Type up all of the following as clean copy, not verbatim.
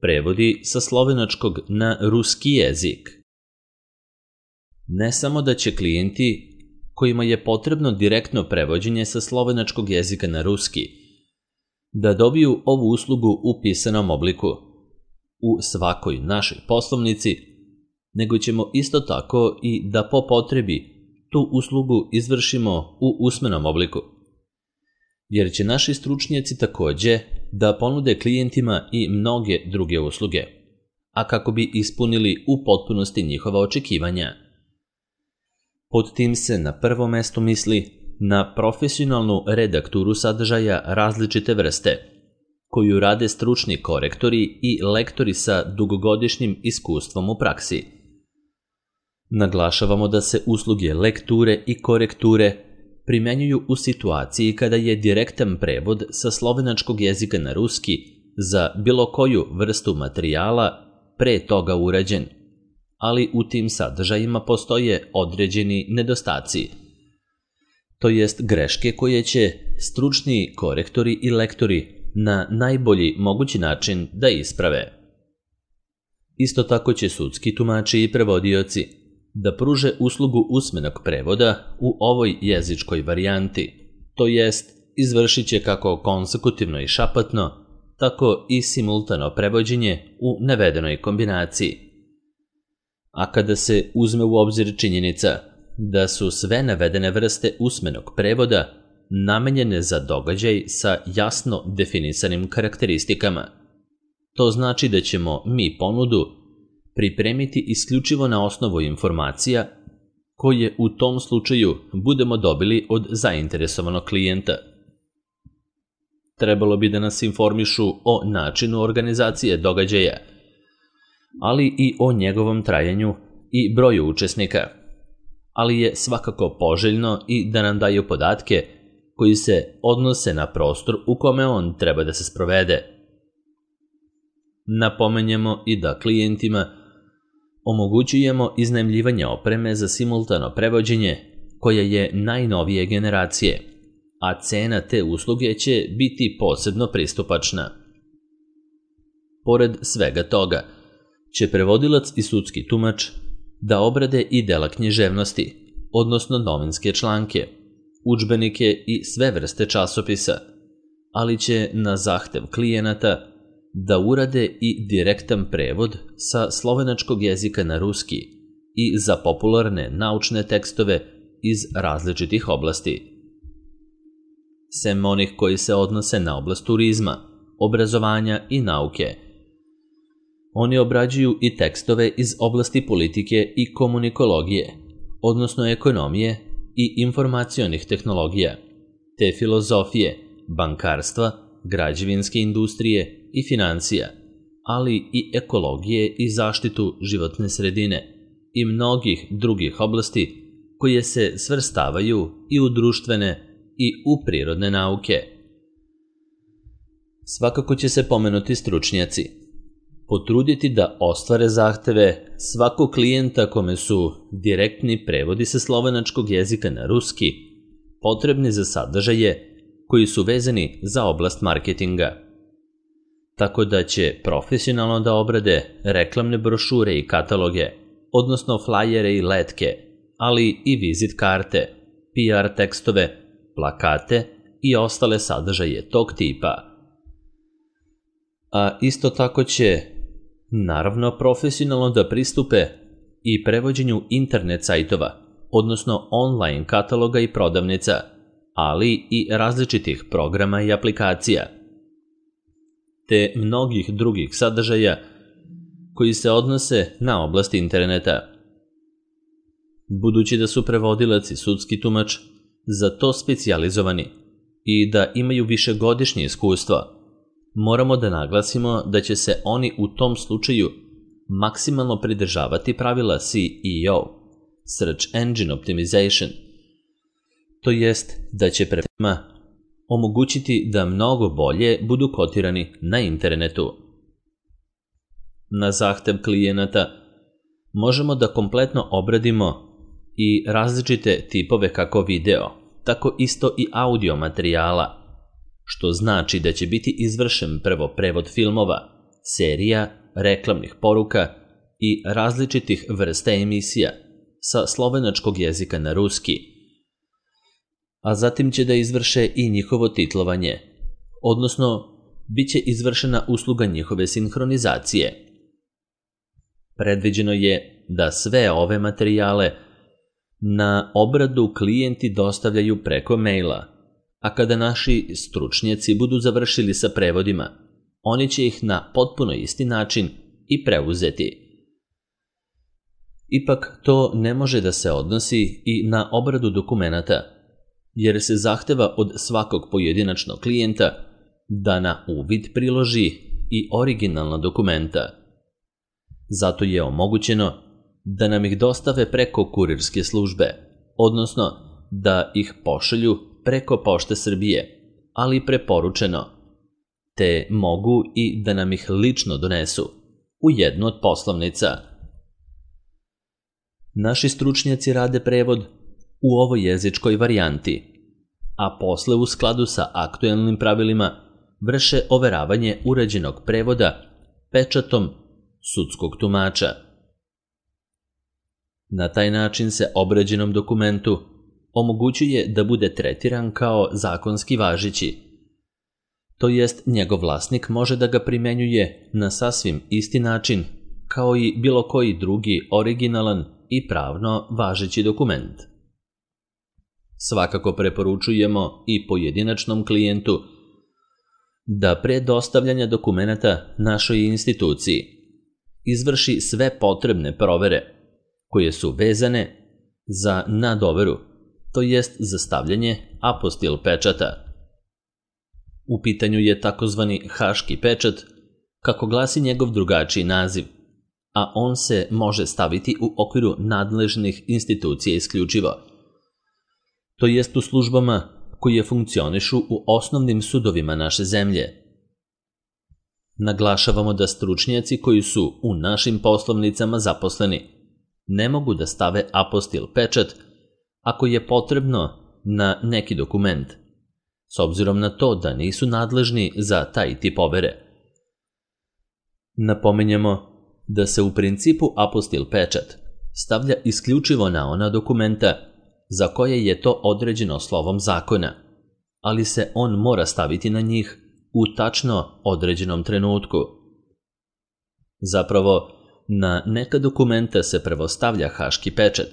prevodi sa slovenačkog na ruski jezik. Ne samo da će klijenti kojima je potrebno direktno prevođenje sa slovenačkog jezika na ruski da dobiju ovu uslugu u pisanom obliku u svakoj našoj poslovnici, nego ćemo isto tako i da po potrebi tu uslugu izvršimo u usmenom obliku. Jer će naši stručnjaci takođe da ponude klijentima i mnoge druge usluge, a kako bi ispunili u potpunosti njihova očekivanja. Pod tim se na prvo mesto misli na profesionalnu redakturu sadržaja različite vrste, koju rade stručni korektori i lektori sa dugogodišnjim iskustvom u praksi. Naglašavamo da se usluge lekture i korekture primenjuju u situaciji kada je direktan prevod sa slovenačkog jezika na ruski za bilo koju vrstu materijala pre toga urađen, ali u tim sadržajima postoje određeni nedostaci, to jest greške koje će stručni korektori i lektori na najbolji mogući način da isprave. Isto tako će sudski tumači i prevodioci da pruže uslugu usmenog prevoda u ovoj jezičkoj varijanti, to jest izvršit će kako konsekutivno i šapatno, tako i simultano prevođenje u navedenoj kombinaciji. A kada se uzme u obzir činjenica da su sve navedene vrste usmenog prevoda namenjene za događaj sa jasno definisanim karakteristikama, to znači da ćemo mi ponudu pripremiti isključivo na osnovu informacija koje u tom slučaju budemo dobili od zainteresovanog klijenta. Trebalo bi da nas informišu o načinu organizacije događaja, ali i o njegovom trajanju i broju učesnika, ali je svakako poželjno i da nam daju podatke koji se odnose na prostor u kome on treba da se sprovede. Napomenjemo i da klijentima omogućujemo iznajmljivanje opreme za simultano prevođenje koja je najnovije generacije, a cena te usluge će biti posebno pristupačna. Pored svega toga, će prevodilac i sudski tumač da obrade i dela književnosti, odnosno novinske članke, udžbenike i sve vrste časopisa, ali će na zahtev klijenata da urade i direktan prevod sa slovenačkog jezika na ruski i za popularne naučne tekstove iz različitih oblasti. Sem onih koji se odnose na oblast turizma, obrazovanja i nauke, oni obrađuju i tekstove iz oblasti politike i komunikologije, odnosno ekonomije i informacionih tehnologija, te filozofije, bankarstva, građevinske industrije i financija, ali i ekologije i zaštitu životne sredine i mnogih drugih oblasti koje se svrstavaju i u društvene i u prirodne nauke. Svakako će se pomenuti stručnjaci potruditi da ostvare zahteve svakog klijenta kome su direktni prevodi sa slovenačkog jezika na ruski potrebni za sadržaje koji su vezani za oblast marketinga. Tako da će profesionalno da obrade reklamne brošure i kataloge, odnosno flajere i letke, ali i vizit karte, PR tekstove, plakate i ostale sadržaje tog tipa. A isto tako će, naravno, profesionalno da pristupe i prevođenju internet sajtova, odnosno online kataloga i prodavnica, ali i različitih programa i aplikacija, te mnogih drugih sadržaja koji se odnose na oblast interneta. Budući da su prevodilac i sudski tumač za to specijalizovani i da imaju višegodišnje iskustvo, moramo da naglasimo da će se oni u tom slučaju maksimalno pridržavati pravila SEO, Search Engine Optimization, to jest da će prema omogućiti da mnogo bolje budu kotirani na internetu. Na zahtev klijenata možemo da kompletno obradimo i različite tipove kako video, tako isto i audio materijala, što znači da će biti izvršen prvo prevod filmova, serija, reklamnih poruka i različitih vrsta emisija sa slovenačkog jezika na ruski, a zatim će da izvrše i njihovo titlovanje, odnosno bit će izvršena usluga njihove sinhronizacije. Predviđeno je da sve ove materijale na obradu klijenti dostavljaju preko maila, a kada naši stručnjaci budu završili sa prevodima, oni će ih na potpuno isti način i preuzeti. Ipak to ne može da se odnosi i na obradu dokumenata, jer se zahteva od svakog pojedinačnog klijenta da na uvid priloži i originalna dokumenta. Zato je omogućeno da nam ih dostave preko kurirske službe, odnosno da ih pošalju preko Pošte Srbije, ali preporučeno, te mogu i da nam ih lično donesu u jednu od poslovnica. Naši stručnjaci rade prevod u ovoj jezičkoj varijanti, a posle u skladu sa aktuelnim pravilima vrše overavanje urađenog prevoda pečatom sudskog tumača. Na taj način se obrađenom dokumentu omogućuje da bude tretiran kao zakonski važeći, to jest njegov vlasnik može da ga primenjuje na sasvim isti način kao i bilo koji drugi originalan i pravno važeći dokument. Svakako preporučujemo i pojedinačnom klijentu da pre dostavljanja dokumenata našoj instituciji izvrši sve potrebne provere koje su vezane za nadoveru, to jest za stavljanje apostil pečata. U pitanju je takozvani haški pečat, kako glasi njegov drugačiji naziv, a on se može staviti u okviru nadležnih institucija isključivo, to jest u službama koje funkcionišu u osnovnim sudovima naše zemlje. Naglašavamo da stručnjaci koji su u našim poslovnicama zaposleni ne mogu da stave apostil pečat ako je potrebno na neki dokument, s obzirom na to da nisu nadležni za taj tip overe. Napominjemo da se u principu apostil pečat stavlja isključivo na ona dokumenta za koje je to određeno slovom zakona, ali se on mora staviti na njih u tačno određenom trenutku. Zapravo, na neka dokumenta se prvo stavlja haški pečat,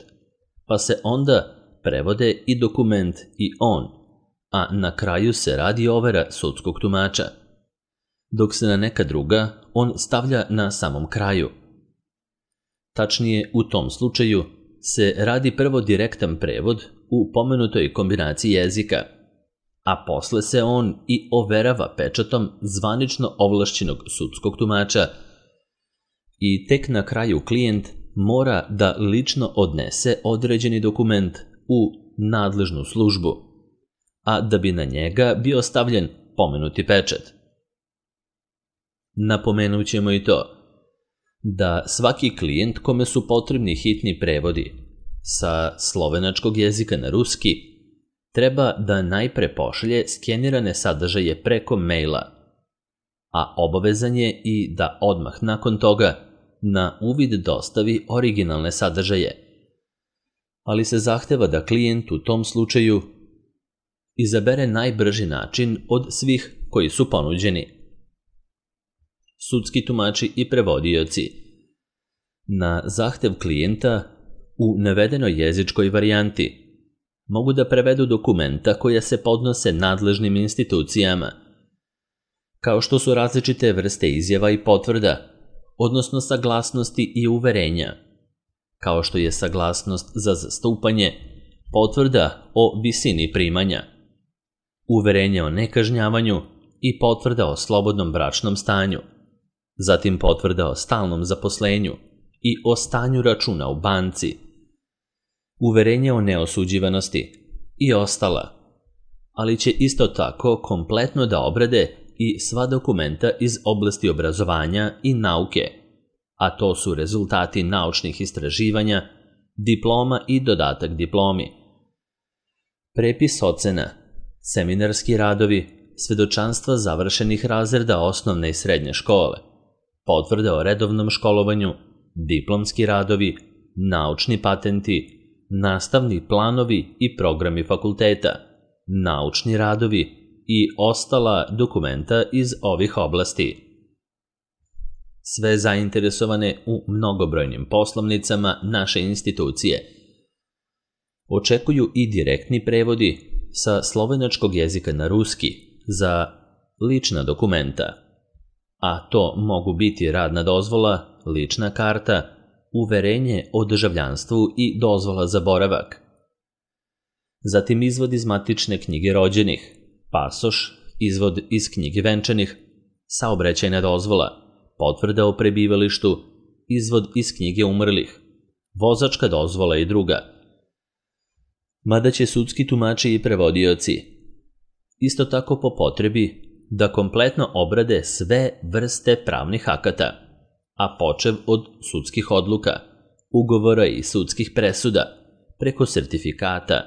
pa se onda prevode i dokument i on, a na kraju se radi overa sudskog tumača, dok se na neka druga on stavlja na samom kraju. Tačnije, u tom slučaju se radi prvo direktan prevod u pomenutoj kombinaciji jezika, a posle se on i overava pečatom zvanično ovlašćenog sudskog tumača i tek na kraju klijent mora da lično odnese određeni dokument u nadležnu službu, a da bi na njega bio stavljen pomenuti pečat. Napomenut ćemo i to da svaki klijent kome su potrebni hitni prevodi sa slovenačkog jezika na ruski treba da najpre pošalje skenirane sadržaje preko maila, a obavezan je i da odmah nakon toga na uvid dostavi originalne sadržaje, ali se zahteva da klijent u tom slučaju izabere najbrži način od svih koji su ponuđeni. Sudski tumači i prevodioci na zahtev klijenta u navedenoj jezičkoj varijanti mogu da prevedu dokumenta koja se podnose nadležnim institucijama, kao što su različite vrste izjava i potvrda, odnosno saglasnosti i uverenja, kao što je saglasnost za zastupanje, potvrda o visini primanja, uverenje o nekažnjavanju i potvrda o slobodnom bračnom stanju, zatim potvrda o stalnom zaposlenju i o stanju računa u banci, uverenje o neosuđivanosti i ostala, ali će isto tako kompletno da obrade i sva dokumenta iz oblasti obrazovanja i nauke, a to su rezultati naučnih istraživanja, diploma i dodatak diplomi, prepis ocena, seminarski radovi, svedočanstva završenih razreda osnovne i srednje škole, potvrde o redovnom školovanju, diplomski radovi, naučni patenti, nastavni planovi i programi fakulteta, naučni radovi i ostala dokumenta iz ovih oblasti. Sve zainteresovane u mnogobrojnim poslovnicama naše institucije očekuju i direktni prevodi sa slovenačkog jezika na ruski za lična dokumenta, a to mogu biti radna dozvola, lična karta, uverenje o državljanstvu i dozvola za boravak. Zatim izvod iz matične knjige rođenih, pasoš, izvod iz knjige venčanih, saobraćajna dozvola, potvrda o prebivalištu, izvod iz knjige umrlih, vozačka dozvola i druga. Mada će sudski tumači i prevodioci isto tako po potrebi da kompletno obrade sve vrste pravnih akata, a počev od sudskih odluka, ugovora i sudskih presuda, preko sertifikata,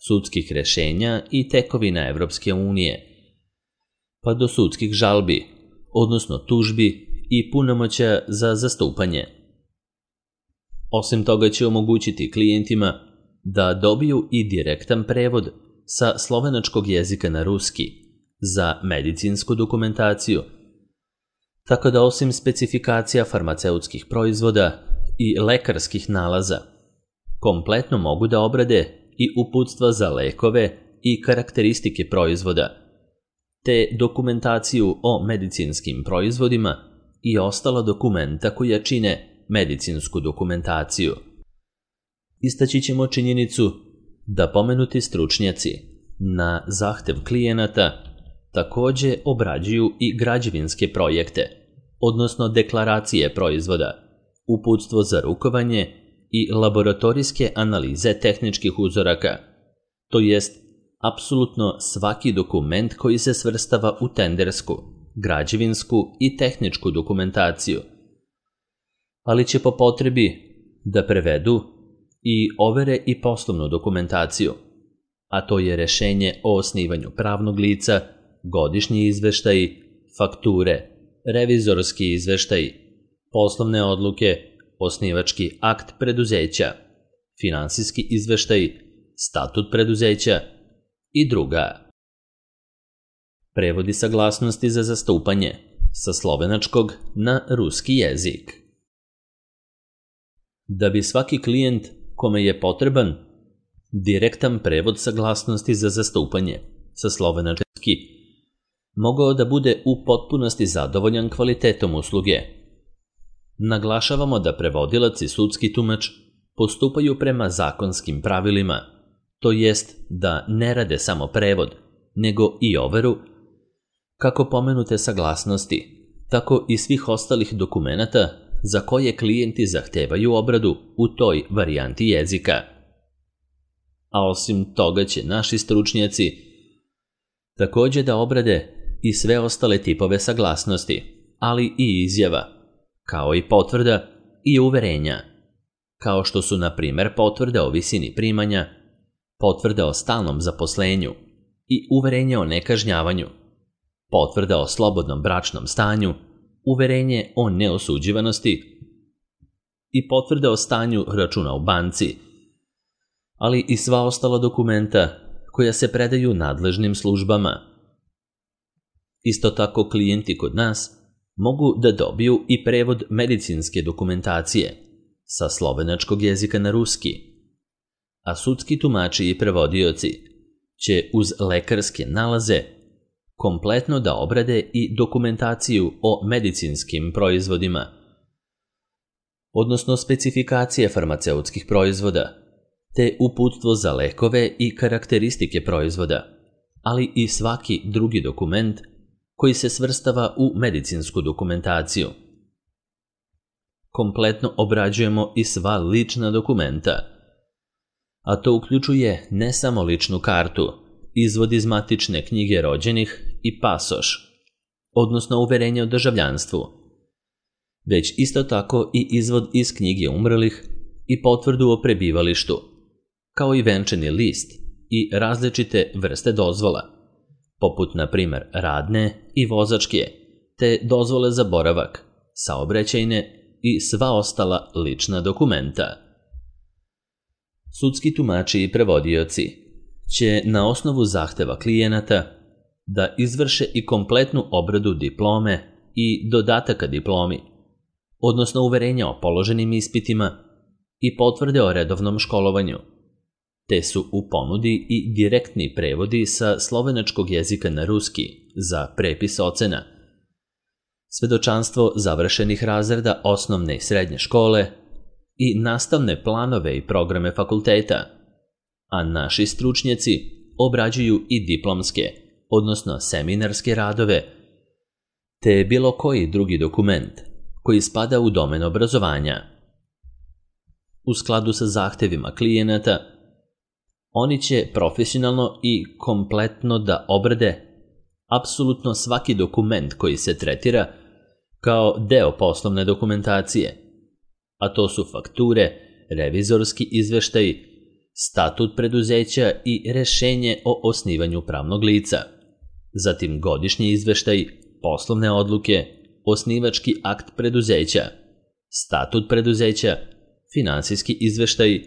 sudskih rešenja i tekovina Evropske unije, pa do sudskih žalbi, odnosno tužbi i punomoćja za zastupanje. Osim toga će omogućiti klijentima da dobiju i direktan prevod sa slovenačkog jezika na ruski za medicinsku dokumentaciju, tako da osim specifikacija farmaceutskih proizvoda i lekarskih nalaza, kompletno mogu da obrade i uputstva za lekove i karakteristike proizvoda, te dokumentaciju o medicinskim proizvodima i ostala dokumenta koja čine medicinsku dokumentaciju. Istaći ćemo činjenicu da pomenuti stručnjaci na zahtev klijenata takođe obrađuju i građevinske projekte, odnosno deklaracije proizvoda, uputstvo za rukovanje i laboratorijske analize tehničkih uzoraka, to jest apsolutno svaki dokument koji se svrstava u tendersku, građevinsku i tehničku dokumentaciju, ali će po potrebi da prevedu i overe i poslovnu dokumentaciju, a to je rešenje o osnivanju pravnog lica, godišnji izveštaji, fakture, revizorski izveštaji, poslovne odluke, osnivački akt preduzeća, finansijski izveštaj, statut preduzeća i druga. Prevodi saglasnosti za zastupanje sa slovenačkog na ruski jezik. Da bi svaki klijent kome je potreban direktan prevod saglasnosti za zastupanje sa slovenački mogao da bude u potpunosti zadovoljan kvalitetom usluge, naglašavamo da prevodilac i sudski tumač postupaju prema zakonskim pravilima, to jest da ne rade samo prevod, nego i overu kako pomenute saglasnosti, tako i svih ostalih dokumenata za koje klijenti zahtevaju obradu u toj varijanti jezika. A osim toga će naši stručnjaci takođe da obrade i sve ostale tipove saglasnosti, ali i izjava, kao i potvrda i uverenja, kao što su, na primer, potvrda o visini primanja, potvrda o stalnom zaposlenju i uverenje o nekažnjavanju, potvrda o slobodnom bračnom stanju, uverenje o neosuđivanosti i potvrda o stanju računa u banci, ali i sva ostala dokumenta koja se predaju nadležnim službama. Isto tako klijenti kod nas mogu da dobiju i prevod medicinske dokumentacije sa slovenačkog jezika na ruski, a sudski tumači i prevodioci će uz lekarske nalaze kompletno da obrade i dokumentaciju o medicinskim proizvodima, odnosno specifikacije farmaceutskih proizvoda, te uputstvo za lekove i karakteristike proizvoda, ali i svaki drugi dokument koji se svrstava u medicinsku dokumentaciju. Kompletno obrađujemo i sva lična dokumenta, a to uključuje ne samo ličnu kartu, izvod iz matične knjige rođenih i pasoš, odnosno uverenje o državljanstvu, već isto tako i izvod iz knjige umrlih i potvrdu o prebivalištu, kao i venčani list i različite vrste dozvola, poput, na primer, radne i vozačke, te dozvole za boravak, saobraćajne i sva ostala lična dokumenta. Sudski tumači i prevodioci će na osnovu zahteva klijenata da izvrše i kompletnu obradu diplome i dodataka diplomi, odnosno uverenja o položenim ispitima i potvrde o redovnom školovanju, te su u ponudi i direktni prevodi sa slovenačkog jezika na ruski za prepis ocena, svedočanstvo završenih razreda osnovne i srednje škole i nastavne planove i programe fakulteta, a naši stručnjaci obrađuju i diplomske, odnosno seminarske radove, te bilo koji drugi dokument koji spada u domen obrazovanja. U skladu sa zahtevima klijenata, oni će profesionalno i kompletno da obrade apsolutno svaki dokument koji se tretira kao deo poslovne dokumentacije, a to su fakture, revizorski izveštaji, statut preduzeća i rešenje o osnivanju pravnog lica, zatim godišnji izveštaj, poslovne odluke, osnivački akt preduzeća, statut preduzeća, finansijski izveštaj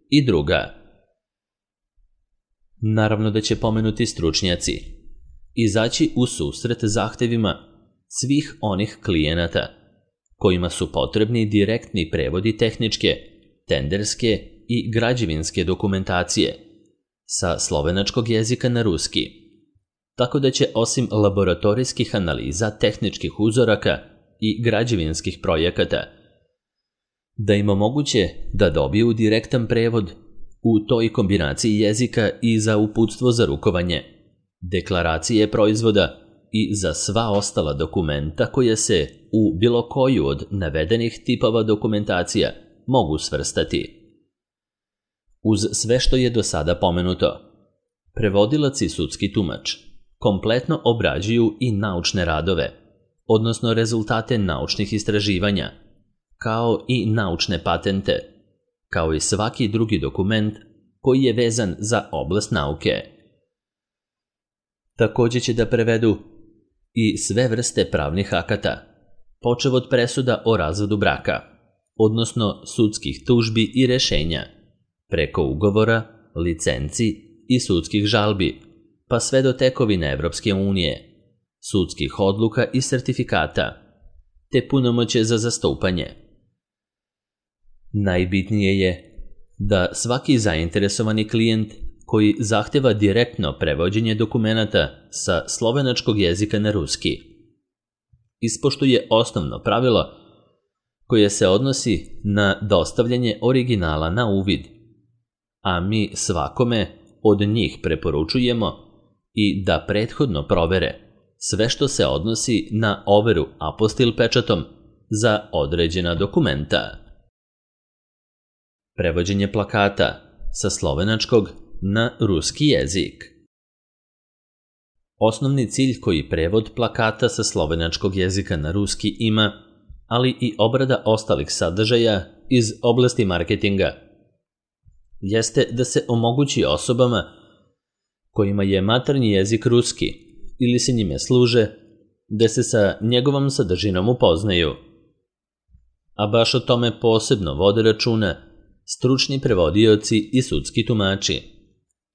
i druga. Naravno da će pomenuti stručnjaci izaći u susret zahtevima svih onih klijenata kojima su potrebni direktni prevodi tehničke, tenderske i građevinske dokumentacije sa slovenačkog jezika na ruski, tako da će osim laboratorijskih analiza tehničkih uzoraka i građevinskih projekata da im omoguće da dobiju direktan prevod u toj kombinaciji jezika i za uputstvo za rukovanje, deklaracije proizvoda i za sva ostala dokumenta koje se u bilo koju od navedenih tipova dokumentacija mogu svrstati. Uz sve što je do sada pomenuto, prevodilac i sudski tumač kompletno obrađuju i naučne radove, odnosno rezultate naučnih istraživanja, kao i naučne patente, kao i svaki drugi dokument koji je vezan za oblast nauke. Također će da prevedu i sve vrste pravnih akata, počev od presuda o razvodu braka, odnosno sudskih tužbi i rešenja, preko ugovora, licenci i sudskih žalbi, pa sve do tekovine Evropske unije, sudskih odluka i sertifikata, te punomoće za zastupanje. Najbitnije je da svaki zainteresovani klijent koji zahteva direktno prevođenje dokumenata sa slovenačkog jezika na ruski ispoštuje osnovno pravilo koje se odnosi na dostavljanje originala na uvid, a mi svakome od njih preporučujemo i da prethodno provere sve što se odnosi na overu apostil pečatom za određena dokumenta. Prevođenje plakata sa slovenačkog na ruski jezik. Osnovni cilj koji prevod plakata sa slovenačkog jezika na ruski ima, ali i obrada ostalih sadržaja iz oblasti marketinga, jeste da se omogući osobama kojima je maternji jezik ruski ili se njime služe, da se sa njegovom sadržinom upoznaju. A baš o tome posebno vode računa stručni prevodioci i sudski tumači,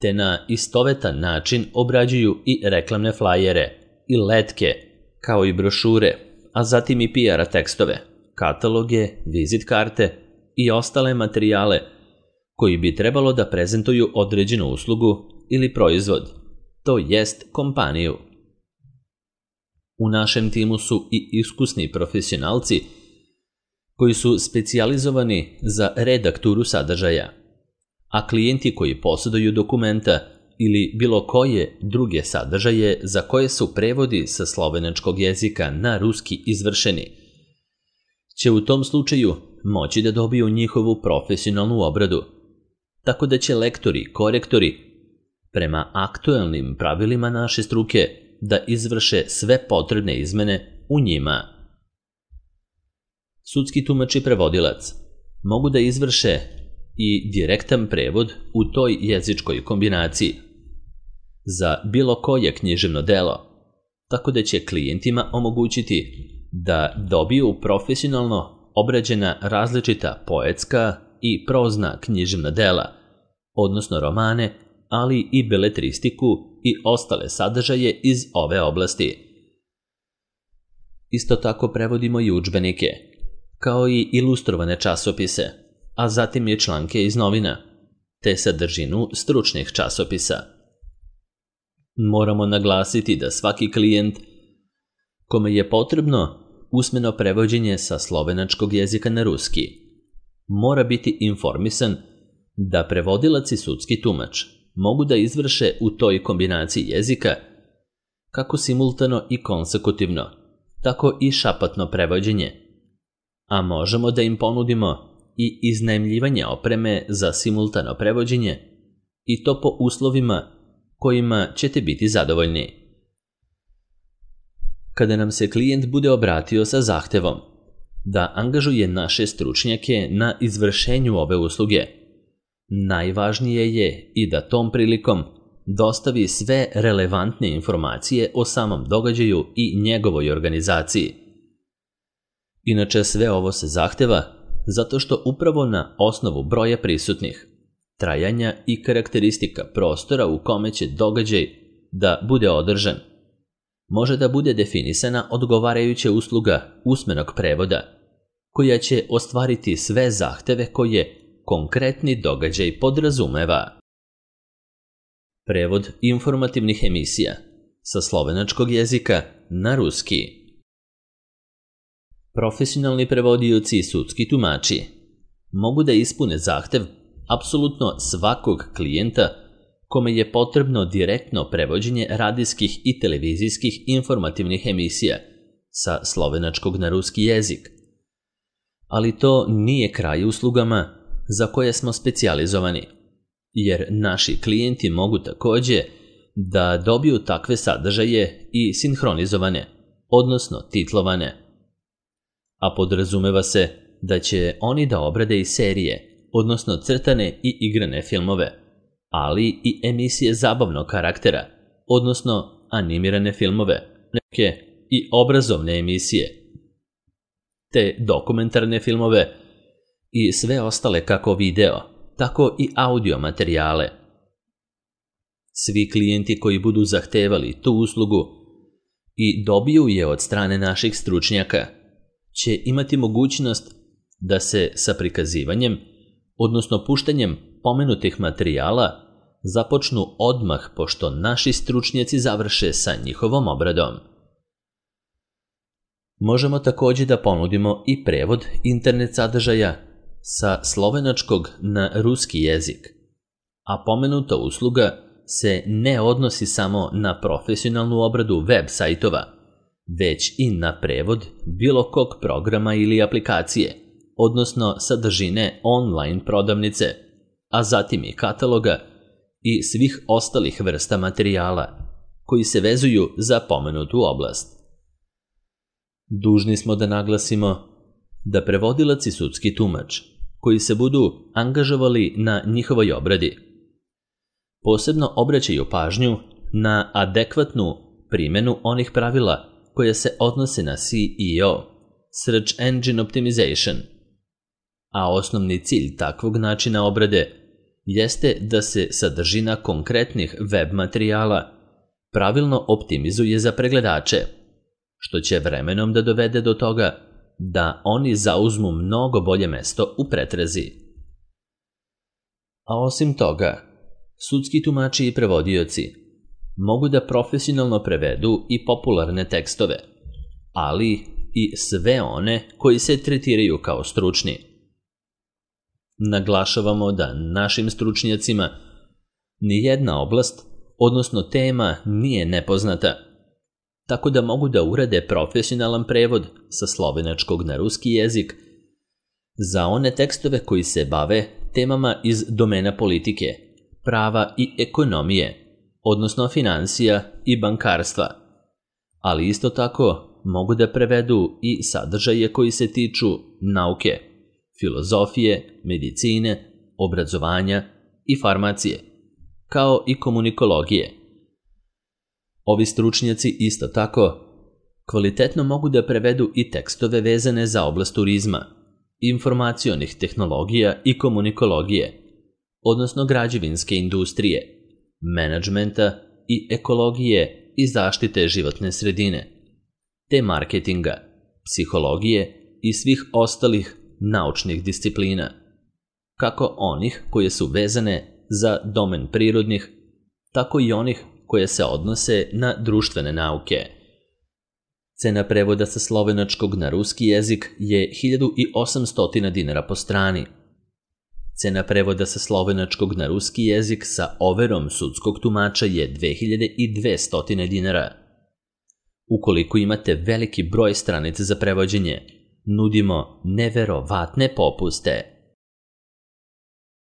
te na istovetan način obrađuju i reklamne flajere i letke, kao i brošure, a zatim i PR tekstove, kataloge, vizit karte i ostale materijale koji bi trebalo da prezentuju određenu uslugu ili proizvod, to jest kompaniju. U našem timu su i iskusni profesionalci koji su specijalizovani za redakturu sadržaja, a klijenti koji posjeduju dokumenta ili bilo koje druge sadržaje za koje su prevodi sa slovenačkog jezika na ruski izvršeni, će u tom slučaju moći da dobiju njihovu profesionalnu obradu, tako da će lektori i korektori prema aktuelnim pravilima naše struke da izvrše sve potrebne izmene u njima. Sudski tumač i prevodilac mogu da izvrše i direktan prevod u toj jezičkoj kombinaciji za bilo koje književno delo, tako da će klijentima omogućiti da dobiju profesionalno obrađena različita poetska i prozna književna dela, odnosno romane, ali i beletristiku i ostale sadržaje iz ove oblasti. Isto tako prevodimo i udžbenike, kao i ilustrovane časopise, a zatim i članke iz novina, te sadržinu stručnih časopisa. Moramo naglasiti da svaki klijent kome je potrebno usmeno prevođenje sa slovenačkog jezika na ruski mora biti informisan da prevodilac i sudski tumač mogu da izvrše u toj kombinaciji jezika kako simultano i konsekutivno, tako i šapatno prevođenje, a možemo da im ponudimo i iznajmljivanje opreme za simultano prevođenje i to po uslovima kojima ćete biti zadovoljni. Kada nam se klijent bude obratio sa zahtevom da angažuje naše stručnjake na izvršenju ove usluge, najvažnije je i da tom prilikom dostavi sve relevantne informacije o samom događaju i njegovoj organizaciji. Inače, sve ovo se zahteva zato što upravo na osnovu broja prisutnih, trajanja i karakteristika prostora u kome će događaj da bude održan, može da bude definisana odgovarajuća usluga usmenog prevoda, koja će ostvariti sve zahteve koje konkretni događaj podrazumeva. Prevod informativnih emisija sa slovenačkog jezika na ruski. Profesionalni prevodioci i sudski tumači mogu da ispune zahtev apsolutno svakog klijenta kome je potrebno direktno prevođenje radijskih i televizijskih informativnih emisija sa slovenačkog na ruski jezik. Ali to nije kraj uslugama za koje smo specijalizovani, jer naši klijenti mogu takođe da dobiju takve sadržaje i sinhronizovane, odnosno titlovane. A podrazumeva se da će oni da obrade i serije, odnosno crtane i igrane filmove, ali i emisije zabavnog karaktera, odnosno animirane filmove, neke i obrazovne emisije, te dokumentarne filmove i sve ostale kako video, tako i audio materijale. Svi klijenti koji budu zahtevali tu uslugu i dobiju je od strane naših stručnjaka će imati mogućnost da se sa prikazivanjem, odnosno puštanjem pomenutih materijala započnu odmah pošto naši stručnjaci završe sa njihovom obradom. Možemo takođe da ponudimo i prevod internet sadržaja sa slovenačkog na ruski jezik, a pomenuta usluga se ne odnosi samo na profesionalnu obradu web sajtova, već i na prevod bilo kog programa ili aplikacije, odnosno sadržine online prodavnice, a zatim i kataloga i svih ostalih vrsta materijala koji se vezuju za pomenutu oblast. Dužni smo da naglasimo da prevodilac i sudski tumač koji se budu angažovali na njihovoj obradi posebno obraćaju pažnju na adekvatnu primenu onih pravila koje se odnose na SEO, Search Engine Optimization, a osnovni cilj takvog načina obrade jeste da se sadržina konkretnih web materijala pravilno optimizuje za pregledače, što će vremenom da dovede do toga da oni zauzmu mnogo bolje mesto u pretrazi. A osim toga, sudski tumači i prevodioci mogu da profesionalno prevedu i popularne tekstove, ali i sve one koji se tretiraju kao stručni. Naglašavamo da našim stručnjacima nijedna oblast, odnosno tema, nije nepoznata, tako da mogu da urade profesionalan prevod sa slovenačkog na ruski jezik za one tekstove koji se bave temama iz domena politike, prava i ekonomije, odnosno finansija i bankarstva, ali isto tako mogu da prevedu i sadržaje koji se tiču nauke, filozofije, medicine, obrazovanja i farmacije, kao i komunikologije. Ovi stručnjaci isto tako Kvalitetno mogu da prevedu i tekstove vezane za oblast turizma, informacionih tehnologija i komunikologije, odnosno građevinske industrije, menadžmenta i ekologije i zaštite životne sredine, te marketinga, psihologije i svih ostalih naučnih disciplina, kako onih koje su vezane za domen prirodnih, tako i onih koje se odnose na društvene nauke. Cena prevoda sa slovenačkog na ruski jezik je 1800 dinara po strani. Cena prevoda sa slovenačkog na ruski jezik sa overom sudskog tumača je 2200 dinara. Ukoliko imate veliki broj stranica za prevođenje, nudimo neverovatne popuste.